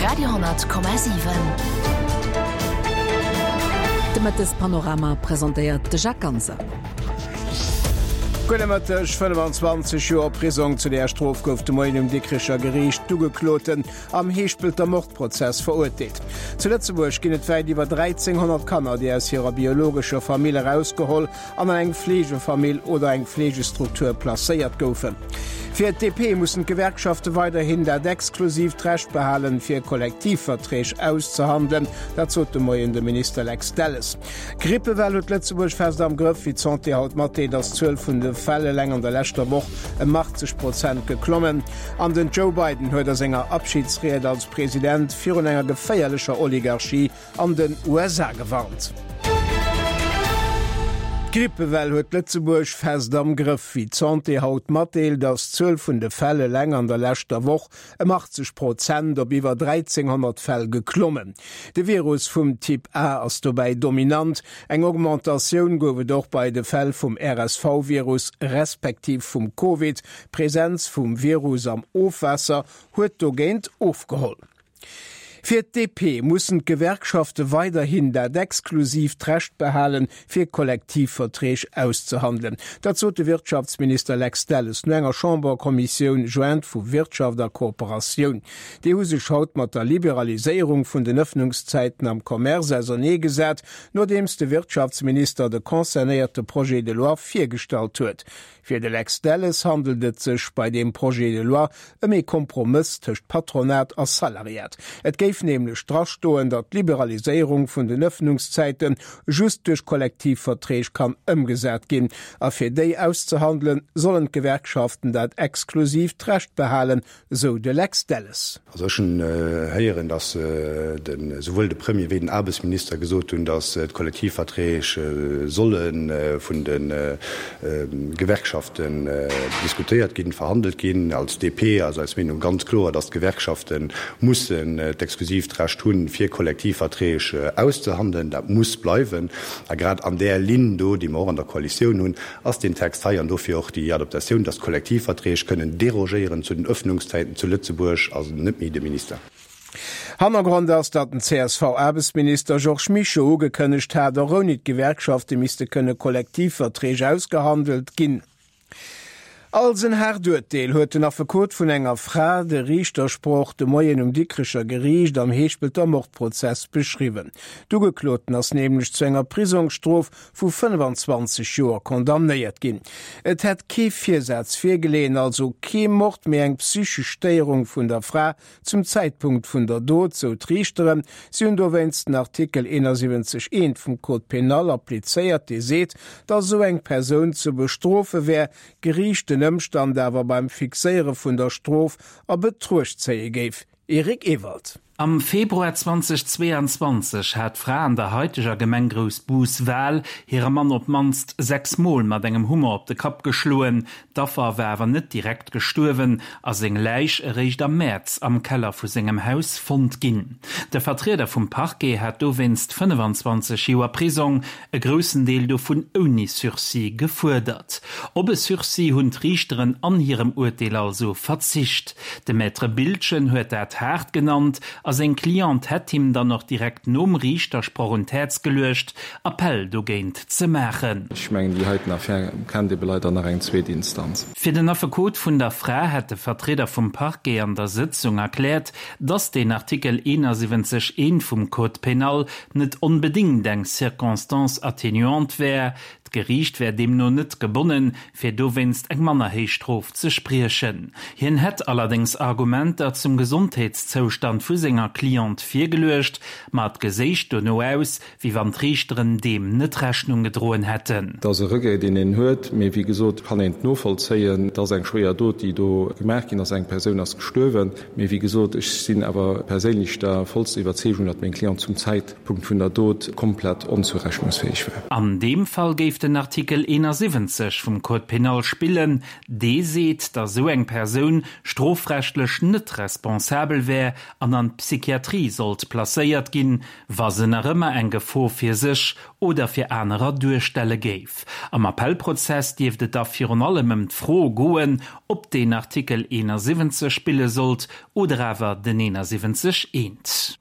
Radio,7. De Mëttespanorama presentéiert de Jacques Ganser. Gudde Mëtteg. 25 Joer Prisong, zu där Strof gouf de Moien um Dikricher Geriicht d'Ugekloten am Heeschpelter Mordprozess verurteelt. Zu Lëtzebuerg ginn et wäit iwwer 1.300 Kanner, déi aus hirer biologescher Famill erausgeholl an an eng Fleegefamill oder eng Fleegestruktur placéiert goufen. Fir d'DP mussen d'Gewerkschafte weiderhin dat exklusiivt Recht behalen, fir Kollektivverträg auszehandelen. Dat sot de Moien de Minister Lex Delles. D'Grippewell huet Lëtzebuerg fest am Grëff. Wéi d'Santé haut matdeelt, ass d'Zuel vun de Fäll eleng an der leschter Woch ëm 80 Prozent geklommen. An den Joe Biden huet a senger Abschidsried als President virun enger geféierlecher Oligarchie an den USA gewarnt. D'Grippewell huet Lëtzebuerg fest am Grëff. Wéi d'Santé haut matdeelt, ass d'Zuel vun de Fäll eleng an der leschter Woch ëm 80 Prozent op iwwer 1.300 Fäll geklommen. De Virus vum Typ A ass dobäi dominant. Eng Augmentatioun gouf et och bei de Fäll vum RSV-Virus respektiv vum Covid. D'Presenz vum Virus am Ofwaasser huet dogéint ofgeholl. Fir d'DP mussen d'Gewerkschafte weiderhin dat exklusiivt Recht behalen, fir Kollektivverträg auszehandelen. Dat sot de Wirtschaftsminister Lex Delles no enger Chamberkommissioun jointe vu Wirtschaft a Kooperatioun. Déi hu sech haut mat der Liberaliséierung vun den Ëffnungszäiten am Commerce ausernee gesat, nodeems de Wirtschaftsminister de concernéierte Projet de loi virgestallt huet. Fir de Lex Delles handelt et sech bei deem Projet de loi ëm ee Kompromëss tëscht Patronat a Salariat. Et géif nämlech drastoen, datt d'Liberaliséierung vun den Ëffnungszäite just duerch Kollektivverträg kann ëmgesat ginn. A fir déi auszehandelen, sollen d'Gewerkschaften dat exklusiivt Recht behalen, sou de Lex Delles. Also ech hunn héieren, datt esouwuel de Premier wéi den Aarbechtsminister gesot hunn, datt d'Kollektivverträg solle vun de Gewerkschaften diskutéiert ginn, verhandelt ginn. Als DP ass eis Meenung ganz kloer, datt d'Gewerkschafte mussen d'exklusiivt Recht hunn, fir Kollektivverträg auszehandelen. Dat muss bleiwen. A grad an där Linn do, déi mer och an der Koalitioun hunn, ass deen Text hei an dofir och déi Adaptatioun, dass d'Kollektivverträg kënnen derogéieren zu den Öffnungszäiten zu Lëtzebuerg, also net méi de Minister. Hannergrond ass, datt den CSV-Aarbechtsminister Georges Mischo ugekënnegt hat, och ouni d'Gewerkschafte misste kënne Kollektivverträg ausgehandelt ginn. Als en haart Urteel huet den Affekot vun enger Fra de Riichtersproch de Moien um Dikrecher Geriicht am Heeschpelter Mordprozess beschriwwen. D'Ugekloten ass nämlech zu enger Prisongsstrof vu 25 Joer condamnéiert ginn. Et hätt kee Virsaz virgeleeën, also kee Mord, mee eng psychesch Stéierung vun der Fra zum Zäitpunkt vun der Dot, sou d'Riichteren. Si hunn dowéinst den Artikel 71 eent vum Code pénal applizéiert, dee seet, datt esou eng Persoun ze bestrofe wär, d'Geriicht den Ëmstand awer beim Fixéiere vun der Strof a Betruecht zéie géif. Eric Ewald. Am Februar 2022 hat d'Fra an der haiteger Gemeng Groussbus-Wal hire Mann op d'mannst 6 Mol mat engem Hummer op de Kapp geschloen. D'Affer war awer net direkt gestuerwen a seng Läich eréischt am Mäerz am Keller vu sengem Haus fonnt ginn. De Vertrieder vum Parquet hat dowéinst 25 Joer Prisong, e groussen Deel dovun ouni Sursis, gefuerdert. Op e Sursis hunn d'Riichteren an hirem Urteel also verzicht. De Maître Biltgen huet dat haart genannt a seng Cliente hätt him dann och direkt nom Riichtersproch un d'Häerz geluecht, Appell dogéint ze maachen. Ech mengen, déi heiten Affär kennt ebe leider nach eng zweet Instanz. Fir den Affekot vun der Fra hätt de Vertrieder vum Parquet an der Sëtzung erkläert, datt deen Artikel 71 I vum Code pénal net onbedéngt eng Circonstance atténuante wär. D'Geriicht wär deemno net gebonnen, fir dowéinst eng manner héich Strof ze spriechen. Hien hätt allerdéngs Argumenter zum Gesondheetszoustand vu senger Cliente virgeluecht, ma et geséich dono aus, wéi wann d'Riichteren deem net Rechnung gedroen hätten. Et ass e Regret, deen een huet, mee wéi gesot kann een et novollzéien. Et ass eng schwéier Dot, déi do gemaach ginn ass. Eng Persoun ass gestuerwen. Mee wéi gesot, ech sinn awer perséinlech der vollster Iwwerzeegung, datt meng Cliente zum Zäitpunkt vun der Dot komplett onzourechnungsfäeg war. An deem Fall géif den. den Artikel 71 vum Code pénal spillen, dee seet, datt esou eng Persoun strofrechtlech net responsabel wär an an d'Psychiatrie sollt placéiert ginn, wa se nach ëmmer eng Gefor fir sech oder fir anerer duerstelle géif. Am Appellprozess dierft et da virun allem ëm d'Fro goen, ob deen Artikel 71 spille sollt oder awer den 71 eent.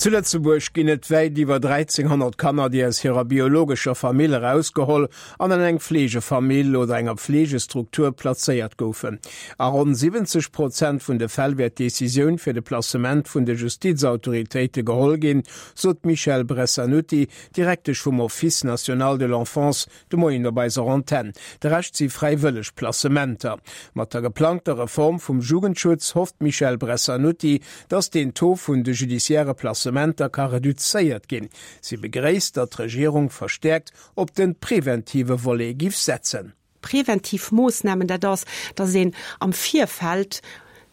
Zu Lëtzebuerg ginn et wäit iwwer 1.300 Kanner, déi aus hirer biologescher Famill erausgeholl an an eng Fleegefamill oder enger Pflegestruktur plazéiert goufen. A ronn 70 Prozent vun de Fäll wär d'Decisioun fir de Placement vun de Justizautoritéite geholl ginn, sot d'Michèle Bressanutty, Direktesch vum Office national de l'enfance De Moien op eiser Antenn. De Rescht si fräiwëlleg Placementer. Mat der geplangter Reform vum Jugendschutz hofft d'Michèle Bressanutty, datt deen Taux vun de judiciaire Placementer ka reduzéiert ginn. Si begréisst, datt d'Regierung verstäerkt op de preventive Volet giff setzen. Preventiv Moossnamen, dat ass, datt een am Virfeld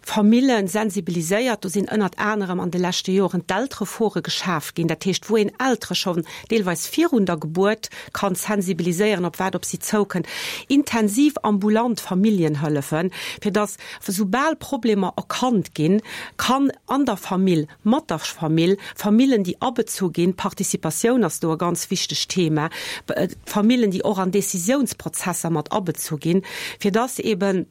Famillen sensibiliséiert. Do sinn ënnert anerem an de leschte Joren d'Elterefore geschaf ginn, dat heescht wou een Eltere schonn deelweis virun der Gebuert kann sensibiliséieren, op wat op si zoukënnt. Intensiv ambulant Familljenhëllefen, fir datt soubal Problemer erkannt ginn, kann an der Famill, mat der Famill, Famillen déi abezu ginn, Participatioun ass do e ganz wichtegt Thema, Famillen déi och an Décisiounsprozesser mat abezu ginn, fir datt eben,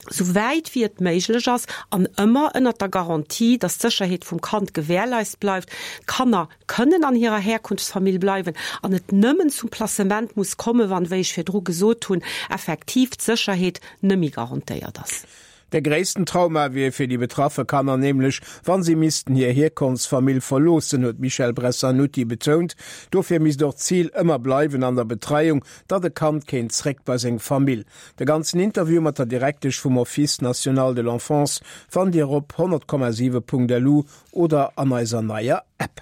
sou wäit wéi et méiglech ass an ëmmer ënnert der Garantie, dass d'Sécherheet vum Kand gewährleist bleift, d'Kanner kënnen an hirer Herkunftsfamill bleiwen an et nëmmen zum Placement muss kommen, wann, wéi ech virdru gesot hunn, effektiv d'Sécherheet nëmmi garantéiert ass. De gréissten Trauma wier fir déi betraffe Kanner nämlech, wann si missten hir Hierkonftsfamill verloossen, huet d'Michèle Bressanutty betount. Dofir misst och d'Zil ëmmer bleiwen an der Betreiung, datt e Kand kéint zréck bei seng Famill. De ganzen Interview mat der Direktesch vum Office national de l'enfance fannt Dir op 100,7.lu oder an eiser neier App.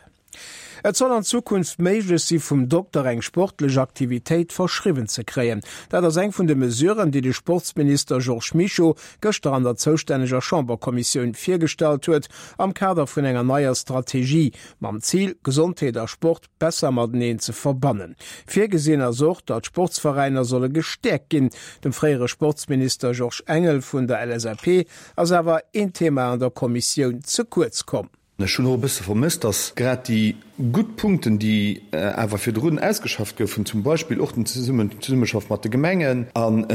Et soll an Zukunft méiglech si vum Dokter eng sportlech Aktivitéit verschriwwen ze kréien. Dat ass eng vun de Mesuren, déi de Sportsminister Georges Mischo gëschter an der zoustänneger Chamberkommissioun virgestallt huet am Kader vun enger neier Strategie mam Zil, Gesondheet a Sport besser mateneen ze verbannen. Virgesinn ass och, datt d'Sportsveräiner solle gestäerkt ginn. Dem fréiere Sportsminister Georges Engel vun der LSAP ass awer een Thema an der Kommissioun ze kuerz komm. Ech hunn och e bësse vermësst, datt grad déi gutt Punkten, déi awer virdrun ausgeschafft goufen, zum Beispill och den Zesummeschaff mat de Gemengen an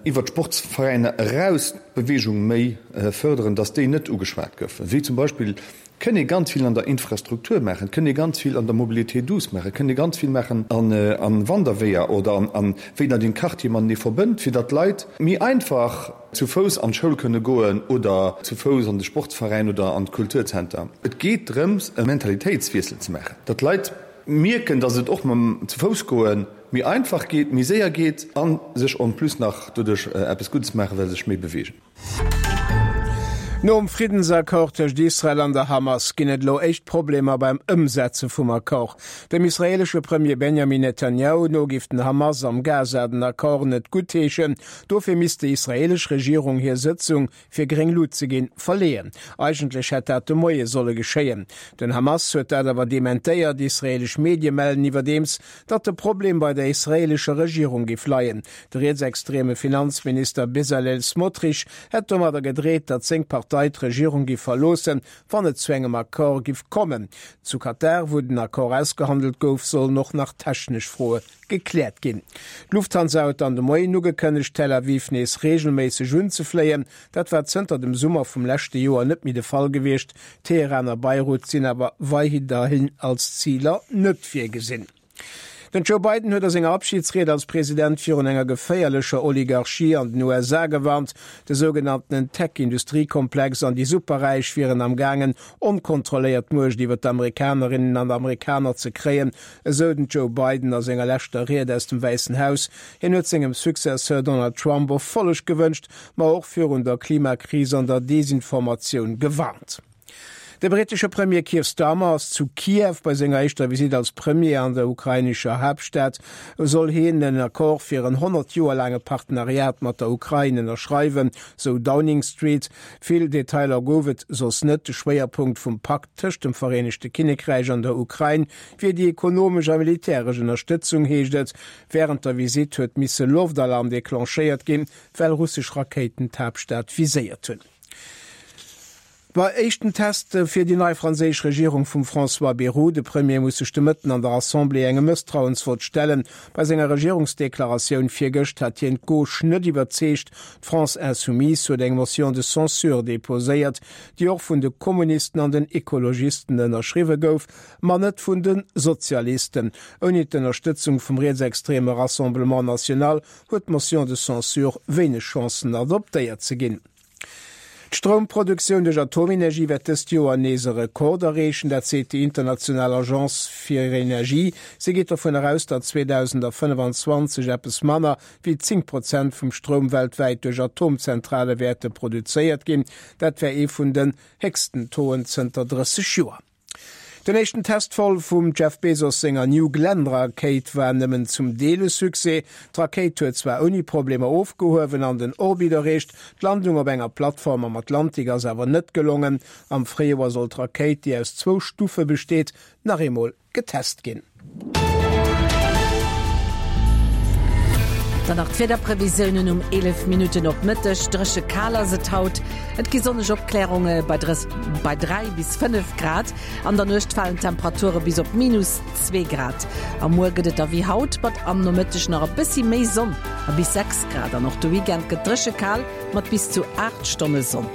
iwwert d'Sportsveräiner eraus d'Beweegung méi fërderen, datt déi net ugeschwat goufen, wéi zum Beispill Kënn ee ganz vill an der Infrastruktur maachen, kënn ee ganz vill an der Mobilité douce maachen, kënn ee ganz vill maachen an Wanderweeër oder an wéi datt een d'Quartiere matenee verbënnt, fir datt d'Leit méi einfach zu Fouss an d'Schoul kënne goen oder zu Fouss an de Sportsveräin oder an d'Kulturzenter. Et geet drëms e Mentalitéitswiessel ze maachen, datt d'Leit mierken, datt et och mam zu Fouss goe méi einfach geet, méi séier geet a sech en plus nach doduerch eppes Guddes maachen, well se sech méi beweegen. Nom Friddensaccord tëscht Israel an der Hamas ginn et elo éischt Problemer beim Ëmsetze vum Accord. Dem israeelesche Premier Benjamin Netanjahu no géif den Hamas am Gaza den Accord net guttheeschen. Dofir misst déi israeelesch Regierung hir Sëtzung, fir gréng Lut ze ginn, verleeën. Eigentlech hätt dat de Moie solle geschéien. Den Hamas huet dat awer dementéiert. Israeelesch Medie mellen iwwerdeems, datt de Problem bei der israeelescher Regierung géif leien. De rietsextreme Finanzminister Bezalel Smotrich hätt domadder gedreet, datt seng Partei d'Regierung géif verloossen, wann et zu engem Accord giff kommen. Zu Katar, wou den Accord ausgehandelt gouf, sollen och nach technesch Froe gekläert ginn. D'Lufthansa huet dann de Moien ugekënnegt, Tel Aviv nees reegelméisseg unzefléien. Dat war zënter dem Summer vum leschte Joer net méi de Fall gewiescht. Teheran a Beirut sinn awer weiderhin als Ziler net virgesinn. Den Joe Biden huet a senger Abschidsried als President virun enger geféierlecher Oligarchie an den USA gewarnt. De sougenanntenen Tech-Industriekomplex an déi Superräich wieren am gaangen, onkontrolléiert Muecht iwwer d'Amerikanerinnen an Amerikaner ze kréien, esou den Joe Biden a senger leschter Ried aus dem Wäissen Haus. Hien huet sengem Successeur Donald Trump Erfolleg gewënscht, ma och virun der Klimakris an der Desinformatioun gewarnt. De brittesche Premier Keir Starmer ass zu Kiew. Bei senger éischter Visitt als Premier an der ukrainescher Haaptstad soll hien en Accord fir en 100 Joer laange Partenariat mat der Ukrain ënnerschreiwen, sou Downing Street. Vill Detailer gouf et soss net. De Schwéierpunkt vum Pakt tëscht dem Vereenegte Kinnekräich an der Ukrain wier déi ekonomesch a militäresch Ënnerstëtzung, heescht et. Wärend der Visitt huet misse Loftalarm declenchéiert ginn, well russesch Rakéiten d'Haaptstad viséiert hunn. Bei éischten Test fir déi nei franséisch Regierung vum François Bayrou. De Premier muss sech de Mëtten an der Assemblée engem Mësstrauensvott stellen. Bei senger Regierungsdeklaratioun virgëscht hat hien d'Gauche net iwwerzeegt. D'France Insoumise huet eng Motion de censure deposéiert, déi och vun de Kommunisten an den Ekologisten ënnerschriwwe gouf, ma net vun de Sozialisten. Ouni d'Ënnerstëtzung vum rietsextreme Rassemblement National huet d'Motion de censure wéineg Chancen adoptéiert ze ginn. D'Stroumproduktioun duerch Atomenergie wäert dëst Joer nees e Rekord erreechen, dat seet déi international Agence fir Energie. Si geet dovun eraus, datt 2025 eppes manner wéi 10 Prozent vum Stroum weltwäit duerch Atomzentrale wäerte produzéiert ginn. Dat wär ee vun den héchsten Tauxen zënter 30 Joer. Den éischten Testvol vum Jeff Bezos senger New Glenn-Rakéit war nëmmen zum Deel e Succès. D'Rakéit huet zwar ouni Problemer ofgehuewen an den Orbit erreecht, d'Landung op enger Plattform am Atlantik ass awer net gelongen. Am Fréijoer soll d'Rakéit, déi aus zwou Stufe besteet, nach eemol getest ginn. Dann nach d'Wiederprevisiounen um 11 Minutten op Mëtteg, Dréche kal ass et haut, et gi sonneg Opklärunge bei bei 3 bis 5 Grad. An der Nuecht falen d'Temperature bis op minus 2 Grad. A muer gëtt et da wéi haut, mat am Nomëtteg nach e bëssi méi Sonn a bis 6 Grad. An och de Weekend gëtt dréche kal mat bis zu 8 Stonne Sonn.